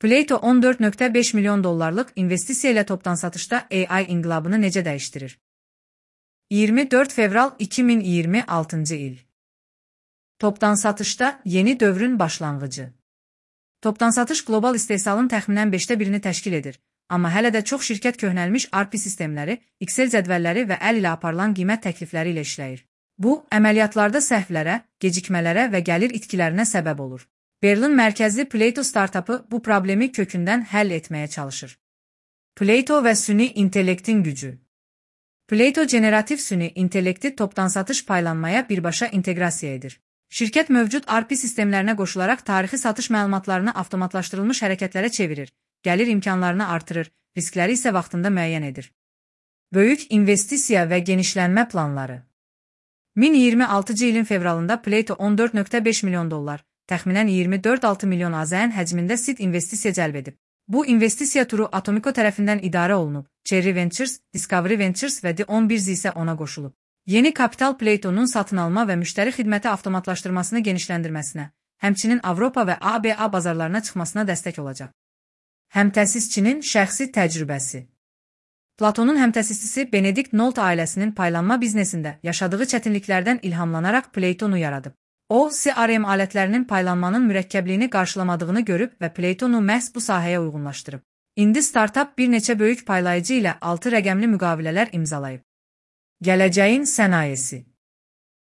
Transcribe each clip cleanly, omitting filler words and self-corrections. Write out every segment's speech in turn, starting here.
Plato 14.5 milyon dollarlıq investisiya ilə topdan satışda AI inqilabını necə dəyişdirir? 24 fevral 2026 il. Topdan satışda yeni dövrün başlanğıcı. Topdan satış qlobal istehsalın təxminən 5də birini təşkil edir, amma hələ də çox şirkət köhnəlmiş ERP sistemləri, Excel cədvəlləri və əl ilə aparılan qiymət təklifləri ilə işləyir. Bu, əməliyyatlarda səhvlərə, gecikmələrə və gəlir itkilərinə səbəb olur. Berlin mərkəzli Plato startapı bu problemi kökündən həll etməyə çalışır. Plato və süni intellektin gücü. Plato generativ süni intellekti topdan satış paylanmaya birbaşa inteqrasiya edir. Şirkət mövcud ERP sistemlərinə qoşularaq tarixi satış məlumatlarını avtomatlaşdırılmış hərəkətlərə çevirir, gəlir imkanlarını artırır, riskləri isə vaxtında müəyyən edir. Böyük investisiya və genişlənmə planları. 2026 ilin fevralında Plato 14.5 milyon dollar, təxminən 24,6 milyon AZN həcmində seed investisiya cəlb edib. Bu investisiya turu Atomico tərəfindən idarə olunub, Cherry Ventures, Discovery Ventures və D11 isə ona qoşulub. Yeni kapital Plato'nun satın alma və müştəri xidməti avtomatlaşdırmasını genişləndirməsinə, həmçinin Avropa və ABA bazarlarına çıxmasına dəstək olacaq. Həmtəsisçinin şəxsi təcrübəsi. Platonun həmtəsisçisi Benedict Nolte ailəsinin paylanma biznesində yaşadığı çətinliklərdən ilhamlanaraq Platonu yaradıb. O, CRM alətlərinin paylanmanın mürəkkəbliyini qarşılamadığını görüb və Platonu məhz bu sahəyə uyğunlaşdırıb. İndi startap bir neçə böyük paylayıcı ilə 6 rəqəmli müqavilələr imzalayıb. Gələcəyin sənayesi.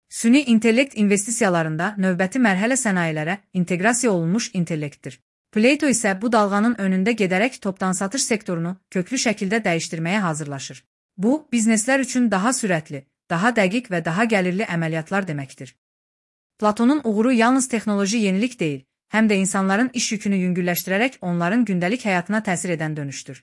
Süni intellekt investisiyalarında növbəti mərhələ sənayelərə inteqrasiya olunmuş intellektdir. Plato isə bu dalğanın önündə gedərək topdan satış sektorunu köklü şəkildə dəyişdirməyə hazırlaşır. Bu, bizneslər üçün daha sürətli, daha dəqiq və daha gəlirli əməliyyatlar deməkdir. Platonun uğuru yalnız texnoloji yenilik deyil, həm də insanların iş yükünü yüngülləşdirərək onların gündəlik həyatına təsir edən dönüşdür.